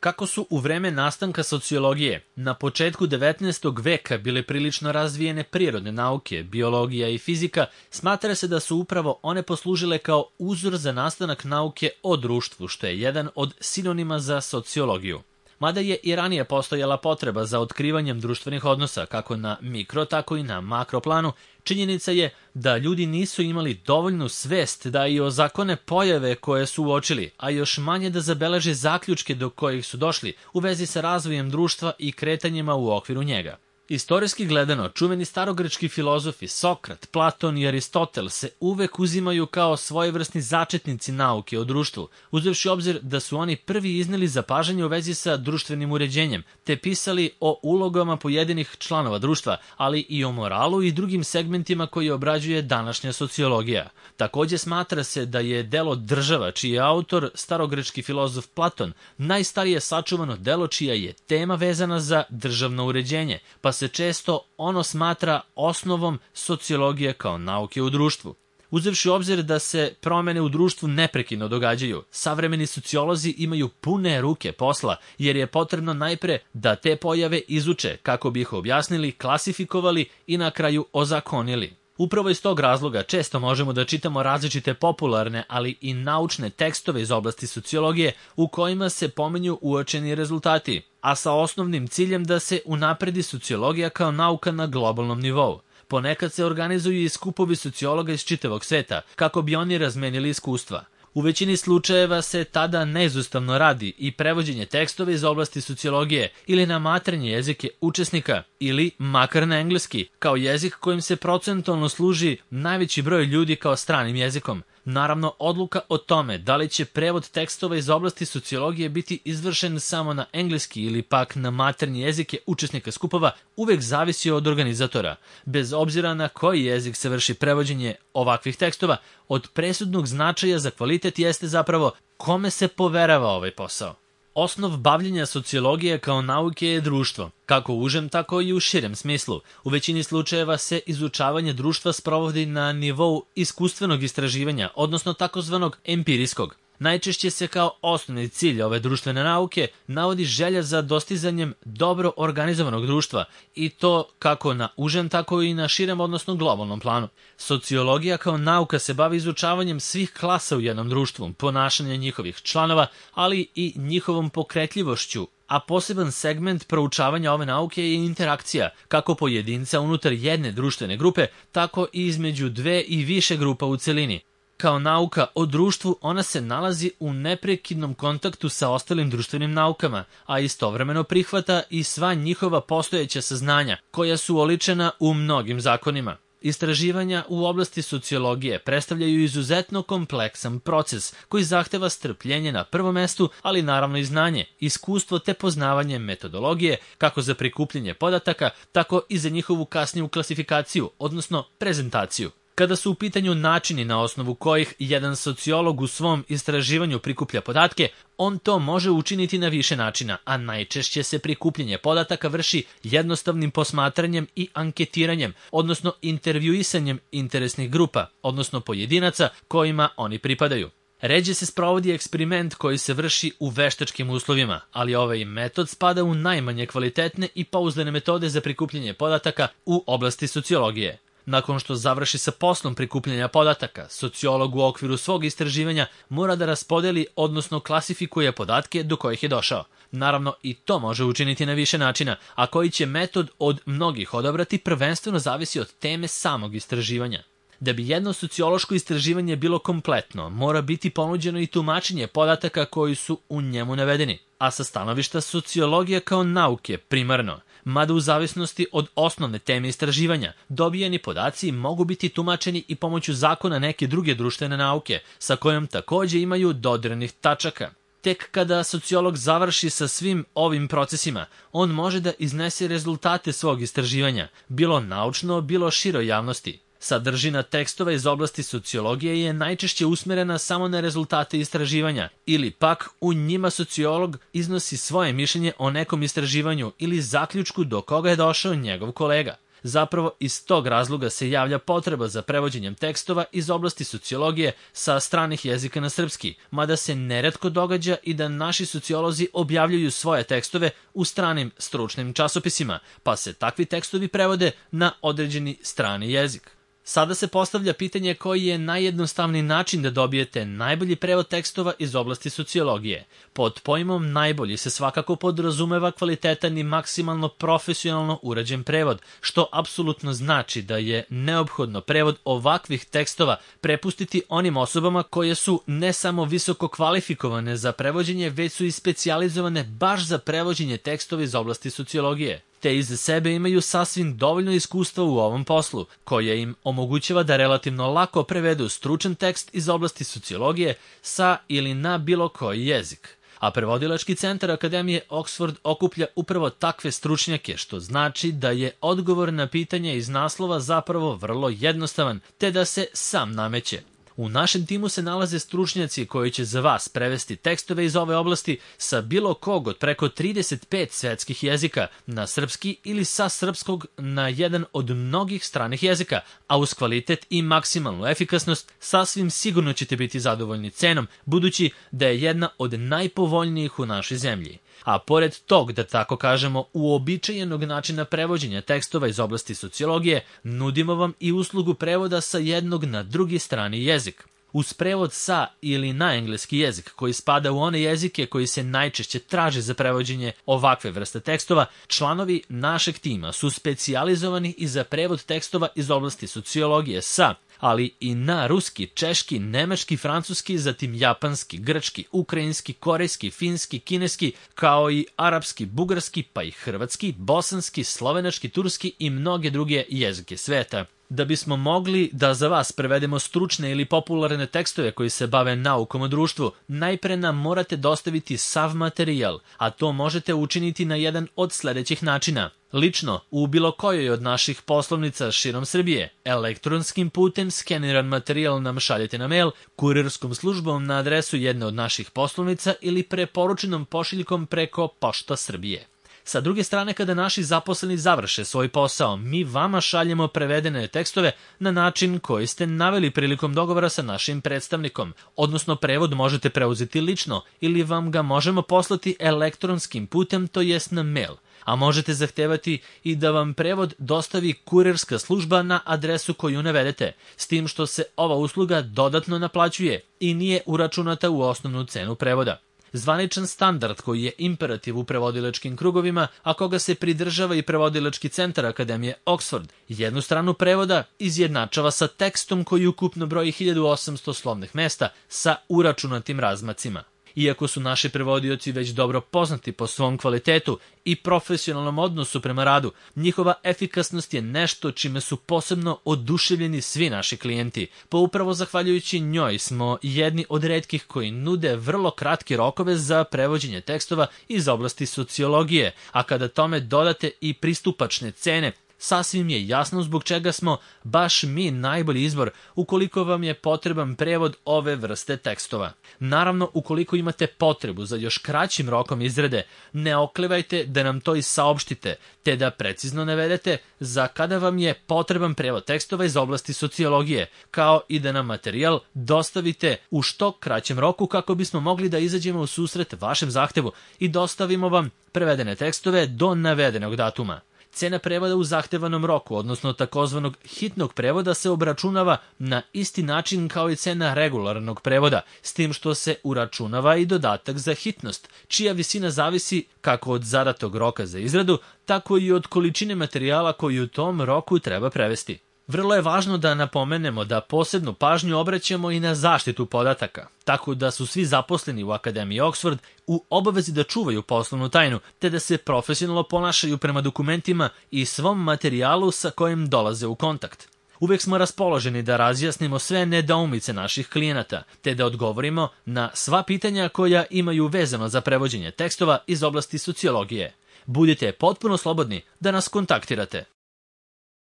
Kako su u vreme nastanka sociologije na početku 19. veka bile prilično razvijene prirodne nauke, biologija i fizika, smatra se da su upravo one poslužile kao uzor za nastanak nauke o društvu, što je jedan od sinonima za sociologiju. Mada je i ranije postojala potreba za otkrivanjem društvenih odnosa, kako na mikro, tako i na makro planu, činjenica je da ljudi nisu imali dovoljnu svest da i ozakone pojave koje su uočili, a još manje da zabeleže zaključke do kojih su došli u vezi sa razvojem društva i kretanjima u okviru njega. Istorijski gledano, čuveni starogrečki filozofi Sokrat, Platon i Aristotel se uvek uzimaju kao svojevrsni začetnici nauke o društvu, uzevši obzir da su oni prvi izneli zapažanje u vezi sa društvenim uređenjem, te pisali o ulogama pojedinih članova društva, ali i o moralu i drugim segmentima koji obrađuje današnja sociologija. Takođe smatra se da je delo Država, čiji je autor starogrečki filozof Platon, najstarije sačuvano delo čija je tema vezana za državno uređenje, pa se često ono smatra osnovom sociologije kao nauke u društvu. Uzevši u obzir da se promene u društvu neprekidno događaju, savremeni sociolozi imaju pune ruke posla, jer je potrebno najpre da te pojave izuče kako bi ih objasnili, klasifikovali i na kraju ozakonili. Upravo iz tog razloga često možemo da čitamo različite popularne, ali i naučne tekstove iz oblasti sociologije u kojima se pominju uočeni rezultati, a sa osnovnim ciljem da se unapredi sociologija kao nauka na globalnom nivou. Ponekad se organizuju i skupovi sociologa iz čitavog sveta, kako bi oni razmenili iskustva. U većini slučajeva se tada neizostavno radi i prevođenje tekstova iz oblasti sociologije ili na maternje jezike učesnika ili makar na engleski, kao jezik kojim se procentualno služi najveći broj ljudi kao stranim jezikom. Naravno, odluka o tome da li će prevod tekstova iz oblasti sociologije biti izvršen samo na engleski ili pak na maternje jezike učesnika skupova uvek zavisi od organizatora. Bez obzira na koji jezik se vrši prevođenje ovakvih tekstova, od presudnog značaja za kvalitet jeste zapravo kome se poverava ovaj posao. Osnov bavljenja sociologije kao nauke je društvo, kako u užem, tako i u širem smislu. U većini slučajeva se izučavanje društva sprovodi na nivou iskustvenog istraživanja, odnosno takozvanog empirijskog. Najčešće se kao osnovni cilj ove društvene nauke navodi želja za dostizanjem dobro organizovanog društva i to kako na užem, tako i na širem, odnosno globalnom planu. Sociologija kao nauka se bavi izučavanjem svih klasa u jednom društvu, ponašanja njihovih članova, ali i njihovom pokretljivošću, a poseban segment proučavanja ove nauke je interakcija, kako pojedinca unutar jedne društvene grupe, tako i između dve i više grupa u celini. Kao nauka o društvu, ona se nalazi u neprekidnom kontaktu sa ostalim društvenim naukama, a istovremeno prihvata i sva njihova postojeća saznanja, koja su oličena u mnogim zakonima. Istraživanja u oblasti sociologije predstavljaju izuzetno kompleksan proces koji zahteva strpljenje na prvom mestu, ali naravno i znanje, iskustvo te poznavanje metodologije kako za prikupljanje podataka, tako i za njihovu kasniju klasifikaciju, odnosno prezentaciju. Kada su u pitanju načini na osnovu kojih jedan sociolog u svom istraživanju prikuplja podatke, on to može učiniti na više načina, a najčešće se prikupljanje podataka vrši jednostavnim posmatranjem i anketiranjem, odnosno intervjuisanjem interesnih grupa, odnosno pojedinaca kojima oni pripadaju. Ređe se sprovodi eksperiment koji se vrši u veštačkim uslovima, ali ovaj metod spada u najmanje kvalitetne i pouzdane metode za prikupljanje podataka u oblasti sociologije. Nakon što završi sa poslom prikupljanja podataka, sociolog u okviru svog istraživanja mora da raspodeli, odnosno klasifikuje podatke do kojih je došao. Naravno, i to može učiniti na više načina, a koji će metod od mnogih odabrati prvenstveno zavisi od teme samog istraživanja. Da bi jedno sociološko istraživanje bilo kompletno, mora biti ponuđeno i tumačenje podataka koji su u njemu navedeni, a sa stanovišta sociologije kao nauke primarno, mada u zavisnosti od osnovne teme istraživanja, dobijeni podaci mogu biti tumačeni i pomoću zakona neke druge društvene nauke, sa kojom takođe imaju dodirnih tačaka. Tek kada sociolog završi sa svim ovim procesima, on može da iznese rezultate svog istraživanja, bilo naučno, bilo široj javnosti. Sadržina tekstova iz oblasti sociologije je najčešće usmerena samo na rezultate istraživanja ili pak u njima sociolog iznosi svoje mišljenje o nekom istraživanju ili zaključku do koga je došao njegov kolega. Zapravo iz tog razloga se javlja potreba za prevođenjem tekstova iz oblasti sociologije sa stranih jezika na srpski, mada se neretko događa i da naši sociolozi objavljuju svoje tekstove u stranim stručnim časopisima, pa se takvi tekstovi prevode na određeni strani jezik. Sada se postavlja pitanje koji je najjednostavniji način da dobijete najbolji prevod tekstova iz oblasti sociologije. Pod pojmom najbolji se svakako podrazumeva kvalitetan i maksimalno profesionalno urađen prevod, što apsolutno znači da je neophodno prevod ovakvih tekstova prepustiti onim osobama koje su ne samo visoko kvalifikovane za prevođenje, već su i specijalizovane baš za prevođenje tekstova iz oblasti sociologije, te iza sebe imaju sasvim dovoljno iskustva u ovom poslu, koje im omogućava da relativno lako prevedu stručan tekst iz oblasti sociologije sa ili na bilo koji jezik. A prevodilački centar Akademije Oxford okuplja upravo takve stručnjake, što znači da je odgovor na pitanje iz naslova zapravo vrlo jednostavan, te da se sam nameće. U našem timu se nalaze stručnjaci koji će za vas prevesti tekstove iz ove oblasti sa bilo kog od preko 35 svetskih jezika na srpski ili sa srpskog na jedan od mnogih stranih jezika, a uz kvalitet i maksimalnu efikasnost sasvim sigurno ćete biti zadovoljni cenom, budući da je jedna od najpovoljnijih u našoj zemlji. A pored tog, da tako kažemo, uobičajenog načina prevođenja tekstova iz oblasti sociologije, nudimo vam i uslugu prevoda sa jednog na drugi strani jezik. Uz prevod sa ili na engleski jezik, koji spada u one jezike koji se najčešće traže za prevođenje ovakve vrste tekstova, članovi našeg tima su specijalizovani i za prevod tekstova iz oblasti sociologije sa, ali i na ruski, češki, nemački, francuski, zatim japanski, grčki, ukrajinski, korejski, finski, kineski, kao i arapski, bugarski, pa i hrvatski, bosanski, slovenački, turski i mnoge druge jezike sveta. Da bismo mogli da za vas prevedemo stručne ili popularne tekstove koji se bave naukom o društvu, najpre nam morate dostaviti sav materijal, a to možete učiniti na jedan od sledećih načina. Lično, u bilo kojoj od naših poslovnica širom Srbije, elektronskim putem skeniran materijal nam šaljete na mail, kurirskom službom na adresu jedne od naših poslovnica ili preporučenom pošiljkom preko Pošta Srbije. Sa druge strane, kada naši zaposleni završe svoj posao, mi vama šaljemo prevedene tekstove na način koji ste naveli prilikom dogovora sa našim predstavnikom, odnosno prevod možete preuzeti lično ili vam ga možemo poslati elektronskim putem, to jest na mail. A možete zahtevati i da vam prevod dostavi kurirska služba na adresu koju navedete, s tim što se ova usluga dodatno naplaćuje i nije uračunata u osnovnu cenu prevoda. Zvaničan standard koji je imperativ u prevodilačkim krugovima, a koga se pridržava i prevodilački centar Akademije Oxford, jednu stranu prevoda izjednačava sa tekstom koji ukupno broji 1800 slovnih mesta sa uračunatim razmacima. Iako su naši prevodioci već dobro poznati po svom kvalitetu i profesionalnom odnosu prema radu, njihova efikasnost je nešto čime su posebno oduševljeni svi naši klijenti, pa upravo zahvaljujući njoj smo jedni od retkih koji nude vrlo kratke rokove za prevođenje tekstova iz oblasti sociologije, a kada tome dodate i pristupačne cene, sasvim je jasno zbog čega smo baš mi najbolji izbor ukoliko vam je potreban prevod ove vrste tekstova. Naravno, ukoliko imate potrebu za još kraćim rokom izrade, ne oklevajte da nam to i saopštite, te da precizno navedete za kada vam je potreban prevod tekstova iz oblasti sociologije, kao i da nam materijal dostavite u što kraćem roku kako bismo mogli da izađemo u susret vašem zahtevu i dostavimo vam prevedene tekstove do navedenog datuma. Cena prevoda u zahtevanom roku, odnosno takozvanog hitnog prevoda, se obračunava na isti način kao i cena regularnog prevoda, s tim što se uračunava i dodatak za hitnost, čija visina zavisi kako od zadatog roka za izradu, tako i od količine materijala koji u tom roku treba prevesti. Vrlo je važno da napomenemo da posebnu pažnju obraćamo i na zaštitu podataka, tako da su svi zaposleni u Akademiji Oxford u obavezi da čuvaju poslovnu tajnu, te da se profesionalno ponašaju prema dokumentima i svom materijalu sa kojim dolaze u kontakt. Uvek smo raspoloženi da razjasnimo sve nedoumice naših klijenata, te da odgovorimo na sva pitanja koja imaju vezano za prevođenje tekstova iz oblasti sociologije. Budite potpuno slobodni da nas kontaktirate.